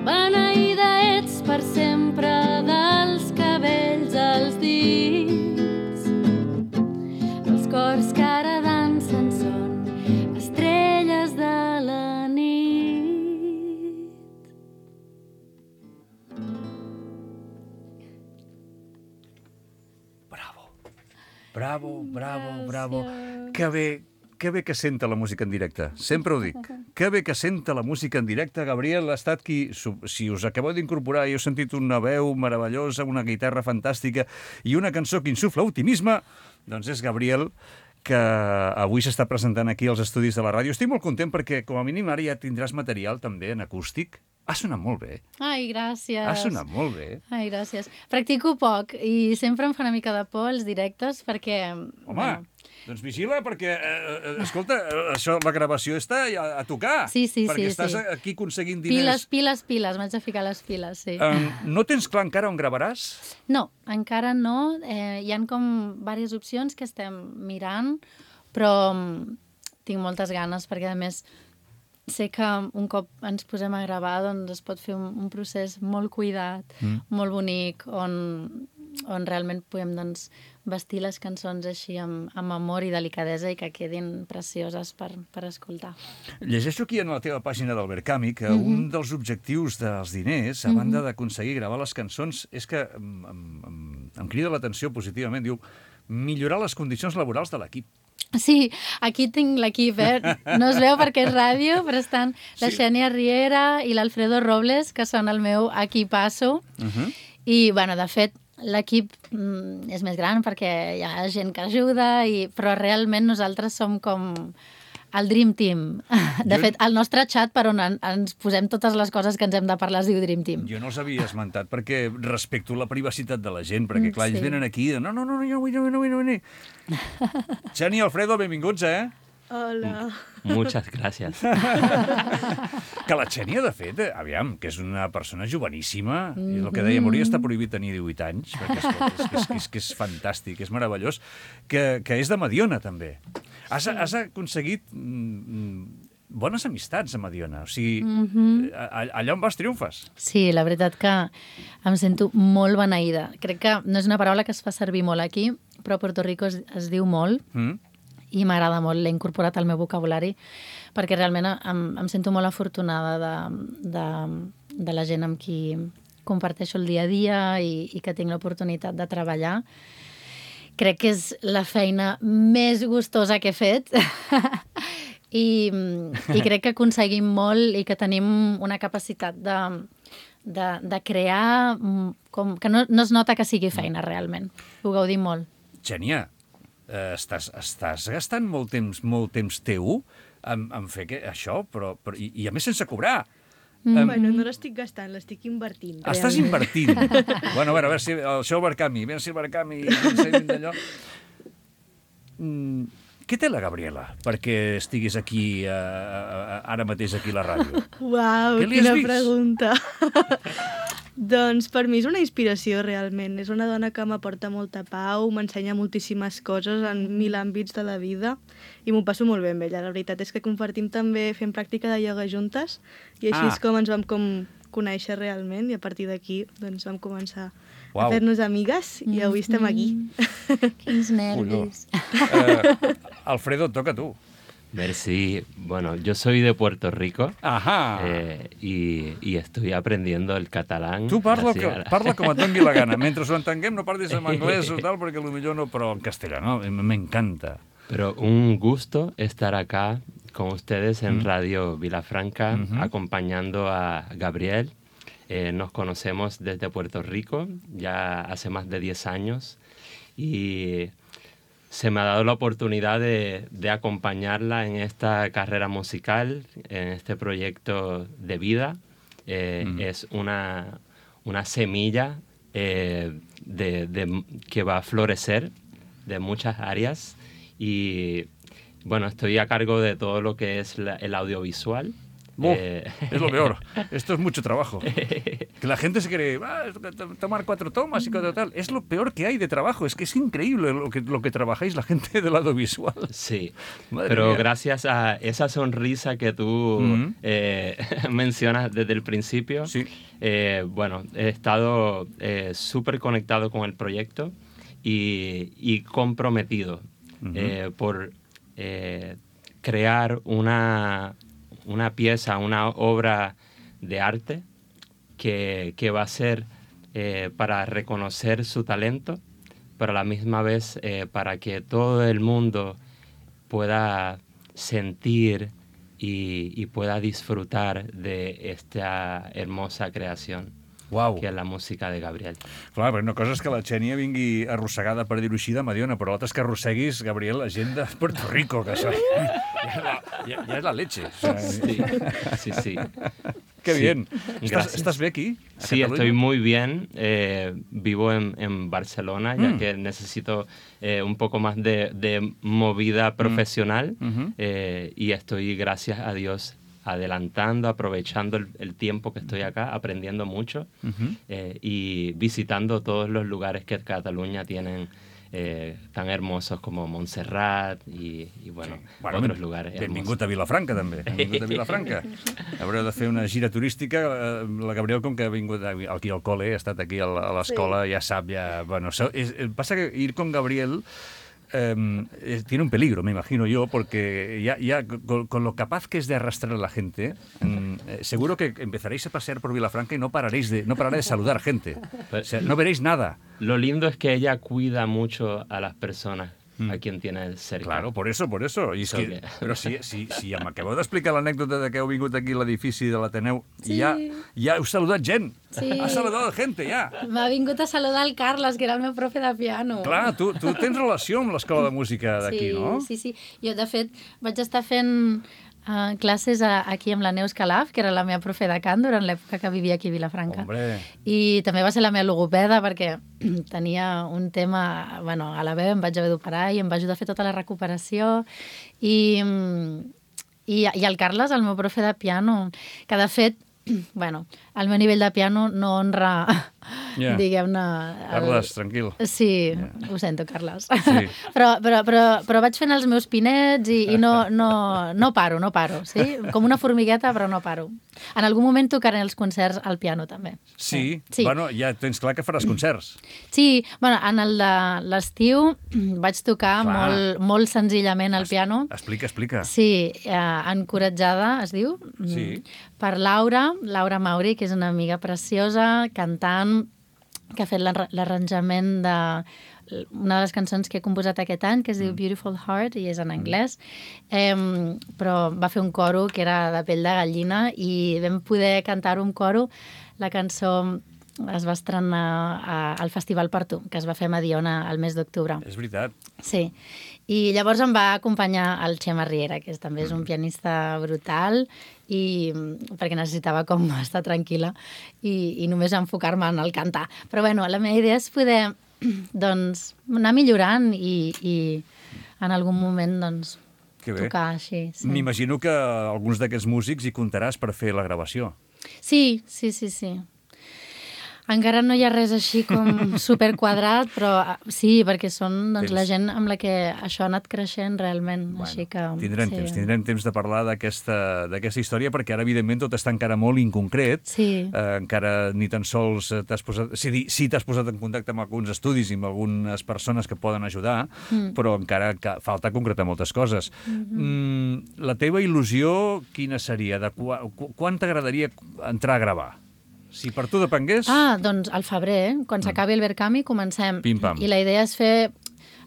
Beneïda ets per sempre dels cabells als dits. Els cors que ara dansen són estrelles de la nit. Bravo. Bravo, bravo, bravo. Que bé, que bé que senta la música en directe. Sempre ho dic. Que bé que senta la música en directe. Gabriel ha estat qui... Si us acabeu d'incorporar i heu sentit una veu meravellosa, una guitarra fantàstica i una cançó que insufla optimisme, doncs és Gabriel, que avui s'està presentant aquí als estudis de la ràdio. Estic molt content perquè, com a mínim, ara ja tindràs material també en acústic. Ha sonat molt bé. Ai, gràcies. Ha sonat molt bé. Ai, gràcies. Practico poc i sempre em fa una mica de por els directes perquè... Home, bueno, doncs vigila perquè, eh, escolta, això, la gravació està a, a tocar. Sí, sí, perquè sí, estàs sí. aquí aconseguint diners. Piles, piles, piles. M'haig de ficar les piles, sí. Um, no tens clar encara on gravaràs? No, encara no. Eh, hi han com diverses opcions que estem mirant, però mm, tinc moltes ganes perquè, a més, sé que un cop ens posem a gravar doncs es pot fer un, un procés molt cuidat, mm. molt bonic, on, on realment podem doncs, vestir les cançons així amb, amb amor i delicadesa i que quedin precioses per, per escoltar. Llegeixo aquí en la teva pàgina del Verkami que mm-hmm. un dels objectius dels diners, a banda mm-hmm. d'aconseguir gravar les cançons, és que em, em, em, em crida l'atenció positivament, diu, millorar les condicions laborals de l'equip. Sí, aquí tinc l'equip, eh? No es veu perquè és ràdio, però estan la sí. Xènia Riera i l'Alfredo Robles, que són el meu equipasso. Uh-huh. I, bueno, de fet, l'equip mm, és més gran perquè hi ha gent que ajuda, i, però realment nosaltres som com el Dream Team. De jo... fet, el nostre xat per on en, ens posem totes les coses que ens hem de parlar es diu Dream Team. Jo no els havia esmentat perquè respecto la privacitat de la gent, perquè clar, ells sí. venen aquí i no, no, no, no, no, no, no, no, no. Xènia, Alfredo, benvinguts, eh? Hola. Muchas gracias. Que la Xènia, de fet, aviam, que és una persona joveníssima, mm-hmm. és el que dèiem, hauria d'estar prohibit tenir divuit anys, perquè és, és, és, és, és, que és fantàstic, és meravellós, que, que és de Mediona, també. Has, has aconseguit mm, bones amistats a Mediona, o sigui, mm-hmm. allà on vas triomfes. Sí, la veritat que em sento molt beneïda. Crec que no és una paraula que es fa servir molt aquí, però a Puerto Rico es, es diu molt, mm. i m'agrada molt, l'he incorporat al meu vocabulari, perquè realment em, em sento molt afortunada de, de, de la gent amb qui comparteixo el dia a dia i, i que tinc l'oportunitat de treballar. Crec que és la feina més gustosa que he fet I, i crec que aconseguim molt i que tenim una capacitat de, de, de crear com, que no, no es nota que sigui feina realment. Ho gaudim molt. Xènia, eh, estàs, estàs gastant molt temps, molt temps teu en, en fer que, això, però, però i, i a més sense cobrar. Mm. Um, bueno, no l'estic gastant, l'estic invertint. Estàs realment. Invertint. Bueno, a veure, a veure si el seu Verkami, a veure si el Verkami, d'allò. Mm, què té la Gabriela perquè estiguis aquí, uh, ara mateix aquí a la ràdio? Uau, quina pregunta. Doncs per mi és una inspiració, realment. És una dona que m'aporta molta pau, m'ensenya moltíssimes coses en mil àmbits de la vida i m'ho passo molt bé amb ella. La veritat és que compartim també fent pràctica de ioga juntes i així ah. és com ens vam com conèixer realment i a partir d'aquí doncs, vam començar Uau. A fer-nos amigues i avui estem aquí. Mm-hmm. Quins nervis. Uh, Alfredo, toca tu. Merci. Bueno, yo soy de Puerto Rico. Ajá. Eh, y, y estoy aprendiendo el catalán. Tu parla, que, parla com et doni la gana. Mentre ho entenguem, no parlis en anglès o tal, perquè potser no, però en castellà, no? M'encanta. Pero un gusto estar acá con ustedes en mm. Radio Vilafranca, mm-hmm. acompañando a Gabriel. Eh, nos conocemos desde Puerto Rico, ya hace más de diez años, y se me ha dado la oportunidad de, de acompañarla en esta carrera musical, en este proyecto de vida. Eh, mm. Es una, una semilla eh, de, de, que va a florecer de muchas áreas y bueno, estoy a cargo de todo lo que es la, el audiovisual. Oh, eh... Es lo peor. Esto es mucho trabajo. Que la gente se quiere ah, tomar cuatro tomas y cuatro tal. Es lo peor que hay de trabajo. Es que es increíble lo que, lo que trabajáis la gente del audiovisual. Sí, Madre pero mía. Gracias a esa sonrisa que tú mm-hmm. eh, mencionas desde el principio, sí. eh, bueno, he estado eh, súper conectado con el proyecto y, y comprometido mm-hmm. eh, por eh, crear una... una pieza, una obra de arte que, que va a ser eh, para reconocer su talento, pero a la misma vez eh, para que todo el mundo pueda sentir y, y pueda disfrutar de esta hermosa creación. Uau. que la música de Gabriel. Clar, però una cosa és que la Xènia vingui arrossegada, per dir-ho així, de Mediona, però l'altra és que arrosseguis, Gabriel, la gent de Puerto Rico, que això ja, ja, ja, ja és la leche. O sea, Sí, sí, sí. Qué Sí. bien. ¿Estás, Gracias. ¿Estás bien aquí? a Sí, Cataluña? estoy muy bien. Eh, vivo en, en Barcelona, ya Mm. que necesito eh, un poco más de, de movida profesional. Ujú. eh, y estoy, gracias a Dios, adelantando, aprovechando el, el tiempo que estoy acá, aprendiendo mucho Ujú. eh, y visitando todos los lugares que Cataluña tienen eh, tan hermosos como Montserrat y, y bueno, Bueno, otros ben- lugares benvingut hermosos. a Vilafranca, també. Benvingut a Vilafranca. Haureu de fer una gira turística. eh, La Gabriel, com que ha vingut aquí al col·le, ha estat aquí a la- a l'escola, ja sap, ja... Bueno, so- es, eh, pasa que ir con Gabriel eh, eh, tiene un peligro, me imagino yo, porque ya, ya con, con lo capaz que es de arrastrar a la gente, mm, eh, seguro que empezaréis a pasear por Vilafranca y no pararéis de, no parará de saludar gente. O sea, no veréis nada. Lo lindo es que ella cuida mucho a las personas a quien tiene cerca. Claro, por eso, por eso. I és So que, que- però si, si, si ja m'acabeu d'explicar l'anècdota de que heu vingut aquí a l'edifici de l'Ateneu, Sí. i ja, ja heu saludat gent. Sí. Has saludat gent, ja. M'ha vingut a saludar el Carles, que era el meu profe de piano. Clar, tu, tu tens relació amb l'escola de música d'aquí, sí, no? Sí, sí. Jo, de fet, vaig estar fent uh, classes a, aquí amb la Neus Calaf, que era la meva profe de cant durant l'època que vivia aquí a Vilafranca. Hombre. I també va ser la meva logopeda perquè tenia un tema, bueno, a la veu em vaig haver d'operar i em va ajudar a fer tota la recuperació. I, i, i el Carles, el meu profe de piano, que de fet, bueno, el meu nivell de piano no honra, Ja. diguem-ne... el- Carles, tranquil. Sí, ho sento, Carles. Sí. però, però, però, però vaig fent els meus pinets i, i no, no, no paro, no paro, sí? Com una formigueta, però no paro. En algun moment tocaré els concerts al piano, també. Sí, Sí. bueno, ja tens clar que faràs concerts. Sí, bueno, en el de l'estiu vaig tocar Clar. molt, molt senzillament al piano. Explica, explica. Sí, eh, encoratjada, es diu, Sí. per Laura, Laura Mauri, que és una amiga preciosa, cantant, que ha fet l'arra- l'arranjament de una de les cançons que he composat aquest any, que es diu Beautiful Heart, i és en anglès, eh, però va fer un coro que era de pell de gallina i vam poder cantar un coro. La cançó es va estrenar a, al Festival Per Tu, que es va fer a Mediona el mes d'octubre. És veritat. Sí, i llavors em va acompanyar el Xema Riera, que és, també és un pianista brutal, i perquè necessitava com estar tranquil·la i, i només enfocar-me en el cantar. Però bueno, la meva idea és poder doncs, anar millorant i, i en algun moment doncs, Que bé. tocar així. Sí. M'imagino que alguns d'aquests músics hi comptaràs per fer la gravació. Sí, sí, sí, sí. Encara no hi ha res així com superquadrat, però ah, sí, perquè són doncs, Tens- la gent amb la que això ha anat creixent realment. Així que, Tindrem sí. temps, tindrem temps de parlar d'aquesta d'aquesta història, perquè ara, evidentment, tot està encara molt inconcret. Sí. Eh, encara ni tan sols eh, t'has posat... Sí, di- sí t'has posat en contacte amb alguns estudis i amb algunes persones que poden ajudar, mm. però encara ca- falta concretar moltes coses. Mm-hmm. Mm, la teva il·lusió quina seria? De qua, qu quan t'agradaria entrar a gravar? Si per tu depengués... Ah, doncs al febrer, eh? Quan s'acabi el Verkami, comencem. Pim-pam. I la idea és fer...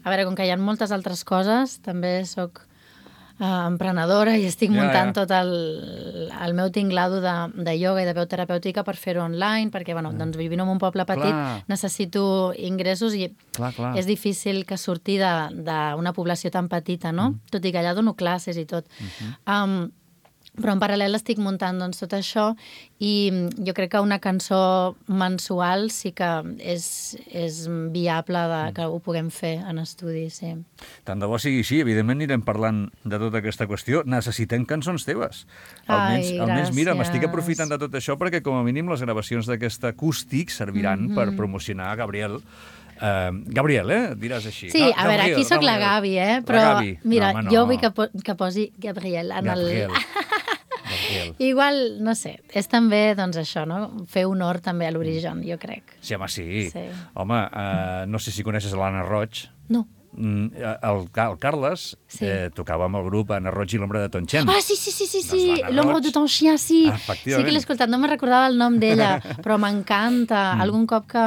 A veure, com que hi ha moltes altres coses, també sóc eh, emprenedora i estic Ja, muntant ja. tot el, el meu tinglado de, de ioga i de veu terapèutica per fer-ho online, perquè, bueno, doncs vivint en un poble petit Clar. necessito ingressos i Clar, clar. és difícil que surti d'una població tan petita, no? Mm. Tot i que allà dono classes i tot. Mm-hmm. Um, però en paral·lel estic muntant doncs, tot això i jo crec que una cançó mensual sí que és, és viable de, que ho puguem fer en estudi, sí. Tant de bo sigui així, evidentment anirem parlant de tota aquesta qüestió. Necessitem cançons teves. Almenys, Ai, almenys mira, m'estic gràcies. aprofitant de tot això perquè com a mínim les gravacions d'aquest acústic serviran Mhm. per promocionar Gabriel. Uh, Gabriel, eh? Diràs així. Sí, Ga- a veure, Gabriel, aquí sóc la Gabriel. Gavi, eh? La Però, Gavi. mira, No, home, jo no. vull que, po que posi Gabriel en Gabriel. el... Gabriel. Igual, no sé, és també, doncs, això, no? Fer honor també a l'origen, jo crec. Sí, home, sí. Sí. Home, uh, no sé si coneixes l'Anna Roig. No. Mm, el, el Carles Sí. eh, tocava amb el grup Anna Roig i l'ombra de Tonchen. Ah, sí, sí, sí, sí, Doncs sí. l'Anna L'Homme Roig. de ton chien, sí. Ah, efectivament. Sí que l'he escoltat, no me recordava el nom d'ella, però m'encanta. Mm. Algun cop que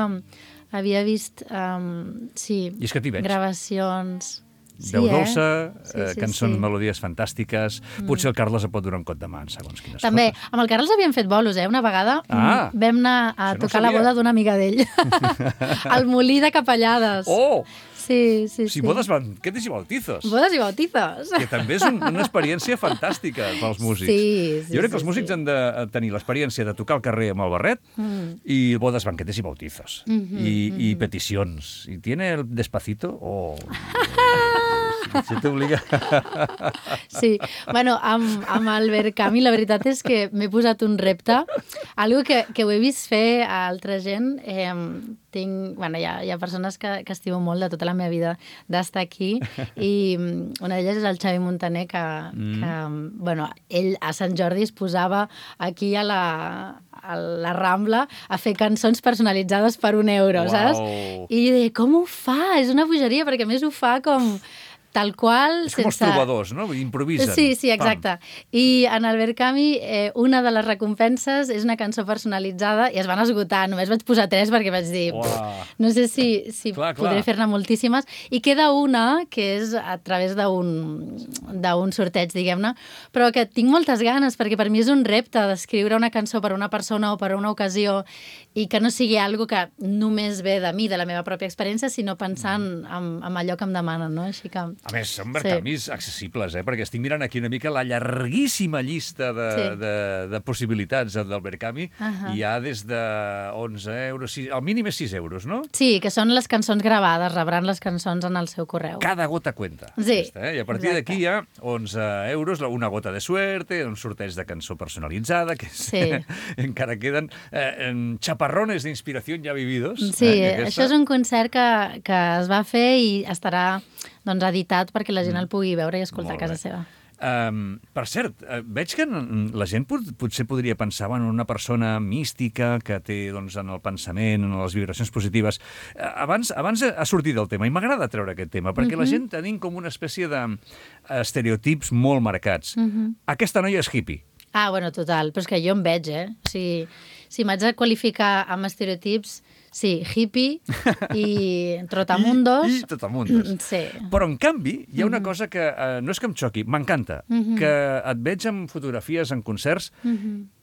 havia vist, um, sí, I és que t'hi veig. gravacions... Sí, veu eh? dolça, Sí, eh, sí, cançons, sí. melodies fantàstiques. Mm. Potser el Carles et pot donar un cot de mà en segons quines També, coses. amb el Carles havíem fet bolos, eh? Una vegada Ah, mm, vam anar a això no tocar la sabia. boda d'una amiga d'ell. Al Molí de Capellades. Oh! Sí, sí, Si sí. bodes banquetes i bautizos. Bodes i bautizos. Que també és un, una experiència fantàstica pels músics. Sí, sí, jo crec que sí, els músics sí. han de tenir l'experiència de tocar al carrer amb el barret Mm. i bodes, banquetes i bautizos. Mhm, I, mhm. I peticions. I tiene el despacito o... Se t'obliga... Sí, bueno, amb, amb el Verkami la veritat és que m'he posat un repte, algo que, que ho he vist fer a altra gent. Eh, tinc, bueno, hi ha, hi ha persones que, que estimo molt de tota la meva vida d'estar aquí i mm, una d'elles és el Xavi Montaner que, mm. que bueno, ell a Sant Jordi es posava aquí a la, a la Rambla a fer cançons personalitzades per un euro, Uau. saps? I jo deia, com ho fa? És una bogeria, perquè a més ho fa com... tal qual... És com els trobadors, no? Improvisen. Sí, sí, exacte. Pam. I en el Verkami, eh, una de les recompenses és una cançó personalitzada i es van esgotar. Només vaig posar tres perquè vaig dir... Uau. No sé si, si Clar, clar. podré fer-ne moltíssimes. I queda una, que és a través d'un d'un sorteig, diguem-ne, però que tinc moltes ganes, perquè per mi és un repte d'escriure una cançó per a una persona o per a una ocasió i que no sigui algo que només ve de mi, de la meva pròpia experiència, sinó pensant en, en allò que em demanen, no? Així que... A més, són Verkamis sí. accessibles, eh? Perquè estic mirant aquí una mica la llarguíssima llista de, Sí. de, de possibilitats del Verkami. Uh -huh. Hi ha des de onze euros, sis, el mínim és sis euros, no? Sí, que són les cançons gravades, rebran les cançons en el seu correu. Cada gota cuenta. Sí, Aquesta, eh? I a partir exacte. d'aquí hi ha onze euros, una gota de suerte, un sorteig de cançó personalitzada, que és, Sí. encara queden eh, en chaparrones d'inspiració ja vividos. Sí, eh, eh, això és un concert que, que es va fer i estarà doncs, editat perquè la gent el pugui veure i escoltar Molt a casa bé. seva. Um, per cert, uh, veig que n- la gent pot, potser podria pensar en una persona mística que té doncs, en el pensament, en les vibracions positives. Uh, abans, abans ha sortit del tema i m'agrada treure aquest tema perquè la gent tenim com una espècie d'estereotips molt marcats. Aquesta noia és hippie. Ah, bueno, total, però és que jo em veig, eh? O sigui, si m'haig de qualificar amb estereotips, sí, hippie i trotamundos. I, i trotamundos. Mm, sí. Però, en canvi, hi ha una cosa que uh, no és que em xoqui, m'encanta, que et veig en fotografies, en concerts,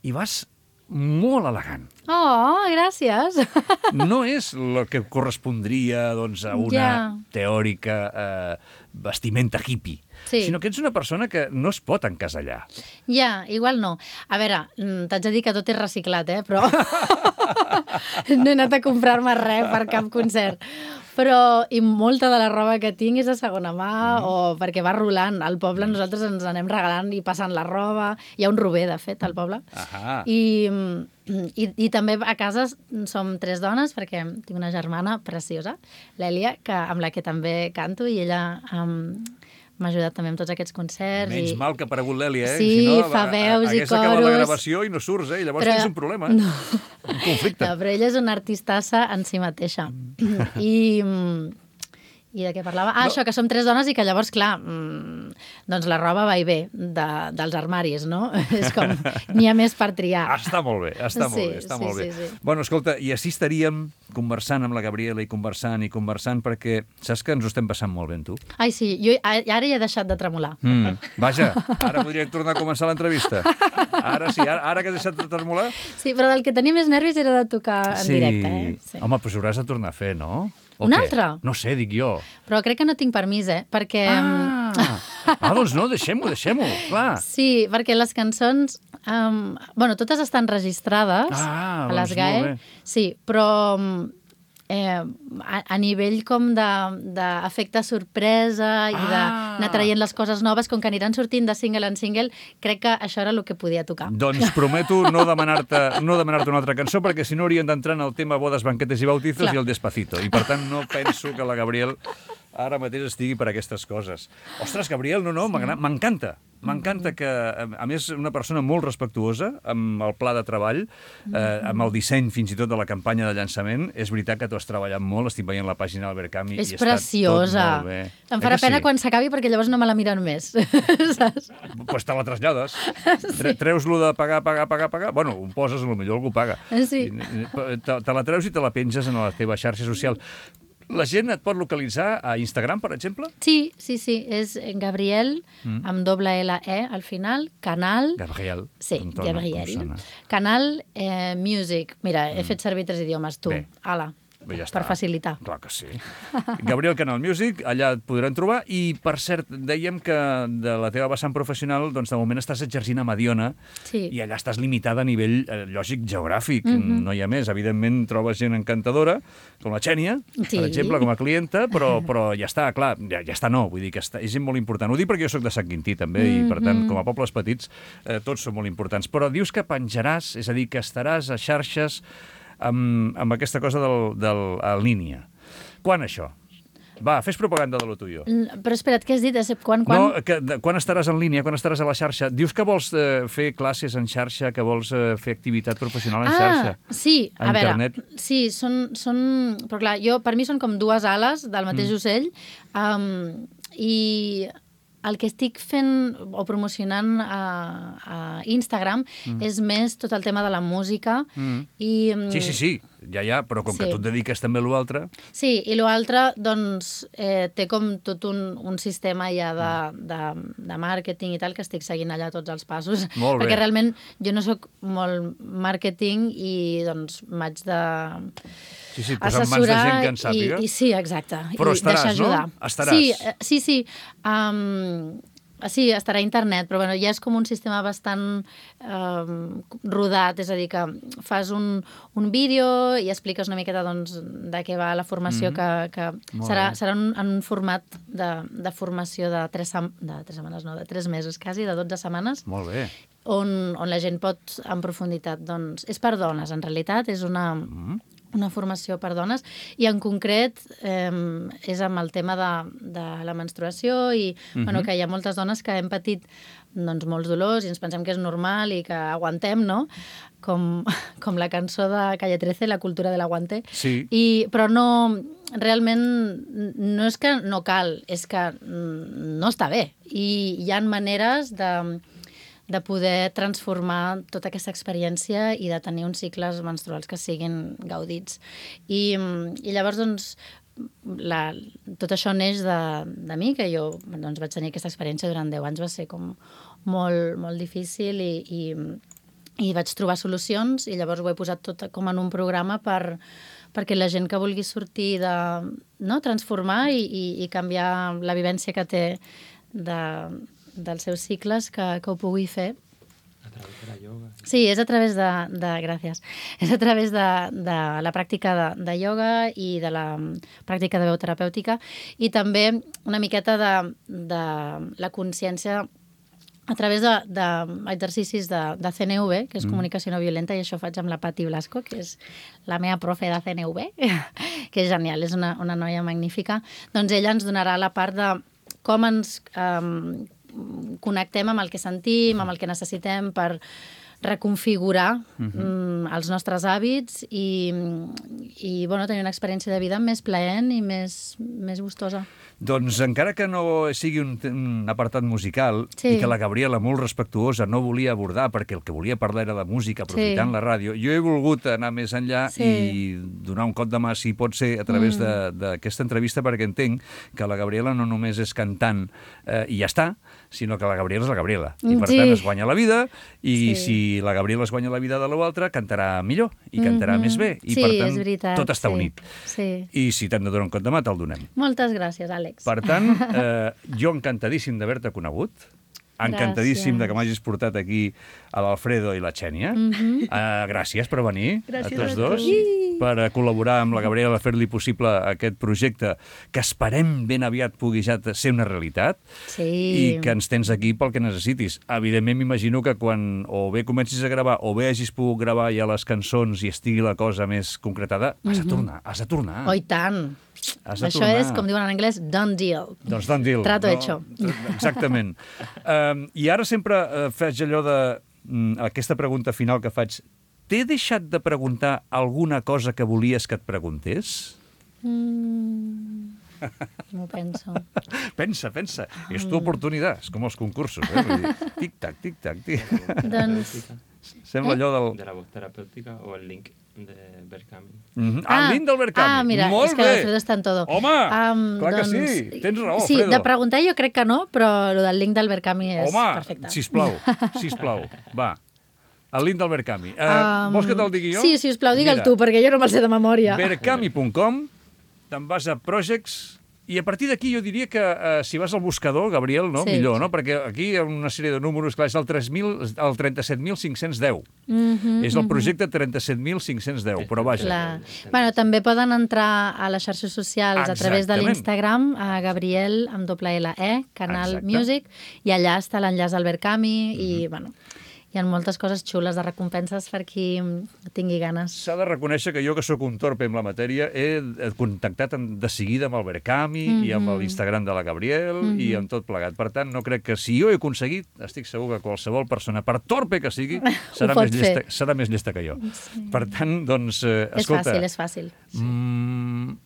i vas molt elegant. Oh, gràcies. No és el que correspondria doncs, a una Ja. teòrica eh, vestimenta hippie, Sí. sinó que ets una persona que no es pot encasellar. Ja, igual no. A veure, mm, t'haig de dir que tot és reciclat, eh? Però no he anat a comprar-me res per cap concert. Però, i molta de la roba que tinc és de segona mà, mm. o perquè va rolant. Al poble nosaltres ens anem regalant i passant la roba. Hi ha un rober, de fet, al poble. Ahà. I, i, I també a casa som tres dones, perquè tinc una germana preciosa, l'Èlia, que, amb la que també canto, i ella um, m'ha ajudat també amb tots aquests concerts. Menys i... mal que ha aparegut l'Èlia, eh? Sí, si no, fa veus i hagués acabat la coros. gravació i no surts, eh? Llavors Però- tens un problema. No. Un conflicte. No, però ella és una artistassa en si mateixa. I, mm, I de què parlava? Ah, No. això, que som tres dones i que llavors, clar, mm, doncs la roba va i ve de, dels armaris, no? És com, n'hi ha més per triar. Ah, està molt bé, està Sí, molt bé, està sí, molt bé. sí, sí. Bueno, escolta, i així estaríem conversant amb la Gabriela i conversant i conversant perquè saps que ens ho estem passant molt bé amb tu? Ai, sí, jo a- ara ja he deixat de tremolar. Mm, vaja, ara podria tornar a començar l'entrevista. Ara sí, ara, ara que has deixat de tremolar... Sí, però del que tenia més nervis era de tocar en directe, eh? Sí. Home, però hauràs de tornar a fer, no? O Un què? altre? No sé, dic jo. Però crec que no tinc permís, eh? Perquè... Ah, ah doncs no, deixem-ho, deixem-ho, clar. Sí, perquè les cançons... Um, bueno, totes estan registrades Ah, a les doncs molt GAE. bé. Sí, però um, eh, a, a nivell com de- d'efecte sorpresa i Ah. d'anar traient les coses noves, com que aniran sortint de single en single, crec que això era el que podia tocar. Doncs prometo no demanar-te no demanar-te una altra cançó, perquè si no hauríem d'entrar en el tema bodes, banquetes i bautizos Clar. i el despacito. I per tant no penso que la Gabriel ara mateix estigui per aquestes coses. Ostres, Gabriel, no, no, m'agrada- m'encanta. M'encanta que, a més, una persona molt respectuosa amb el pla de treball, eh, amb el disseny fins i tot de la campanya de llançament. És veritat que tu has treballat molt, estic veient la pàgina del Verkami És i està preciosa. tot molt bé. Em Eh farà que pena sí? quan s'acabi perquè llavors no me la miren més. Saps? Pues te la trasllades. Tre Treus-lo de pagar, pagar, pagar, pagar. Bueno, ho poses, potser algú paga. Sí. I, te, te la treus i te la penges en la teva xarxa social. La gent et pot localitzar a Instagram, per exemple? Sí, sí, sí, és Gabriel, mm. amb doble L E al final, canal... Gabriel. Sí, com tona, Gabriel. com sona. Canal eh, Music. Mira, he Mm. fet servir tres idiomes, tu. Bé. Ala, Bé, ja per està. facilitar. Clar que sí. Gabriel Canal Music, allà et podran trobar. I, per cert, dèiem que de la teva vessant professional, doncs, de moment estàs exercint a Mediona Sí. i allà estàs limitada a nivell, eh, lògic, geogràfic. Mhm. No hi ha més. Evidentment, trobes gent encantadora, com la Xènia, Sí. per exemple, com a clienta, però, però ja està, clar, ja, ja està no. Vull dir que està, és gent molt important. Ho dic perquè jo sóc de Sant Quintí, també, i, per tant, Mhm. com a pobles petits, eh, tots són molt importants. Però dius que penjaràs, és a dir, que estaràs a xarxes amb, amb aquesta cosa del, del, en línia. Quan això? Va, fes propaganda de lo tuyo. Mm, Però espera't, què has dit? Quan, quan? No, que, de, quan estaràs en línia, quan estaràs a la xarxa? Dius que vols eh, fer classes en xarxa, que vols eh, fer activitat professional en xarxa? Ah, sí, a, A veure, internet? sí, són, són... Però clar, jo, per mi són com dues ales del mateix mm. ocell, um, i el que estic fent o promocionant a, a Instagram mm. és més tot el tema de la música Mm. i... um, Sí, sí, sí, ja, ja, però com Sí. que tu et dediques també a l'altre... Sí, i l'altre, doncs, eh, té com tot un, un sistema ja de, de, de màrqueting i tal, que estic seguint allà tots els passos. Molt bé. Perquè realment jo no sóc molt màrqueting i, doncs, m'haig de... Sí, sí, posar en mans de gent que en sàpiga. I, i sí, exacte. Però i estaràs, deixar ajudar. no? Estaràs. Sí, eh, sí, sí. Um, sí, estarà a internet, però bueno, ja és com un sistema bastant um, rodat, és a dir, que fas un, un vídeo i expliques una miqueta doncs, de què va la formació, Mhm. que, que Molt serà, bé. serà en, en un format de, de formació de tres, sem- de tres setmanes, no, de tres mesos quasi, de dotze setmanes, Molt bé. on, on la gent pot en profunditat, doncs, és per dones, en realitat, és una, Mm. una formació per dones, i en concret eh, és amb el tema de, de la menstruació i Mhm. bueno, que hi ha moltes dones que hem patit doncs, molts dolors i ens pensem que és normal i que aguantem, no? Com, com la cançó de Calle trece, La cultura de l'aguante. Sí. I, però no, realment no és que no cal, és que mm, no està bé. I hi ha maneres de de poder transformar tota aquesta experiència i de tenir uns cicles menstruals que siguin gaudits. I, i llavors, doncs, la, tot això neix de, de mi, que jo doncs, vaig tenir aquesta experiència durant deu anys, va ser com molt, molt difícil i, i, i vaig trobar solucions i llavors ho he posat tot com en un programa per, perquè la gent que vulgui sortir de... no, transformar i, i, i canviar la vivència que té de, dels seus cicles, que, que ho pugui fer. A través de la yoga. Sí, és a través de... de gràcies. És a través de, de la pràctica de, de ioga i de la pràctica de veu terapèutica i també una miqueta de, de la consciència a través d'exercicis de, de, de C N V, que és Mm. comunicació no violenta, i això ho faig amb la Pati Blasco, que és la meva profe de C N V, que és genial, és una, una noia magnífica. Doncs ella ens donarà la part de com ens um, connectem amb el que sentim, amb el que necessitem per reconfigurar Mhm. mm, els nostres hàbits i, i bueno, tenir una experiència de vida més plaent i més, més gustosa. Doncs encara que no sigui un, un apartat musical Sí. i que la Gabriela, molt respectuosa, no volia abordar perquè el que volia parlar era de música aprofitant Sí. la ràdio, jo he volgut anar més enllà Sí. i donar un cop de mà, si pot ser, a través Mm. de- d'aquesta entrevista, perquè entenc que la Gabriela no només és cantant eh, i ja està, sinó que la Gabriela és la Gabriela. I per Sí. tant es guanya la vida i Sí. si la Gabriela es guanya la vida de l'altra, cantarà millor i cantarà Mhm. més bé. I Sí, per tant, és veritat, tot està sí. unit. Sí. I si t'hem de donar un cop de mà, te'l donem. Moltes gràcies, Àlex. Per tant, eh, jo encantadíssim d'haver-te conegut, encantadíssim Gràcies. de que m'hagis portat aquí a l'Alfredo i la Xènia. Mhm. Eh, gràcies per venir, Gràcies a tots a dos, tu. per eh, col·laborar amb la Gabriela a fer-li possible aquest projecte que esperem ben aviat pugui ja ser una realitat Sí. i que ens tens aquí pel que necessitis. Evidentment, m'imagino que quan o bé comencis a gravar o bé hagis pogut gravar ja les cançons i estigui la cosa més concretada, has de Mhm. tornar, has de tornar. Oh, i tant. Has de Això tornar. és, com diuen en anglès, done deal. Doncs done deal. Trato hecho. Exactament. um, I ara sempre uh, faig allò de... Um, aquesta pregunta final que faig. T'he deixat de preguntar alguna cosa que volies que et preguntés? Mm, no ho penso. Pensa, pensa. És tu oportunitat. És com els concursos. Eh? Vull dir, tic-tac, tic-tac, tic. Doncs, Sembla allò del... De la voz terapéutica o el link de Berkami. Mm -hmm. Ah, el link del Berkami. Ah, mira, Molt és que bé. l'Alfredo està en todo. Home, um, clar doncs, que sí. Tens raó, sí, Alfredo. de preguntar jo crec que no, però el del link del Berkami és Home, perfecte. sisplau, sisplau, va. El link del Berkami. Uh, Um, vols que te'l digui jo? Sí, sisplau, digue'l Mira, tu, perquè jo no me'l sé de memòria. berkami punt com, te'n vas a Projects, i a partir d'aquí jo diria que uh, si vas al buscador, Gabriel, no? Sí. millor, no? Perquè aquí hi ha una sèrie de números, clar, és el, tres mil, el trenta-set mil cinc-cents deu. Mm -hmm, És el projecte trenta-set mil cinc-cents deu, però vaja. Clar. Bueno, també poden entrar a les xarxes socials a través de Exactament. l'Instagram, a Gabriel, amb doble L E, Canal Exacte. Music, i allà està l'enllaç al Berkami, i, bueno, hi ha moltes coses xules de recompenses per qui tingui ganes. S'ha de reconèixer que jo, que sóc un torpe amb la matèria, he contactat de seguida amb el Berkami mm -hmm. i amb l'Instagram de la Gabriel mm -hmm. i amb tot plegat. Per tant, no crec que si jo he aconseguit, estic segur que qualsevol persona, per torpe que sigui, serà, més llesta, serà més llesta que jo. Sí. Per tant, doncs, eh, és escolta... fàcil, és fàcil. Sí. Mm,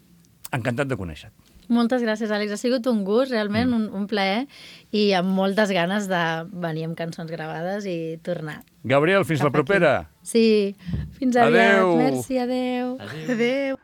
encantat de conèixer-te. Moltes gràcies, Àlex. Ha sigut un gust, realment, mm. un, un plaer, i amb moltes ganes de venir amb cançons gravades i tornar. Gabriel, fins Cap la propera. Aquí. Sí, fins aviat. Adeu. Merci, adeu. Adéu. Adéu.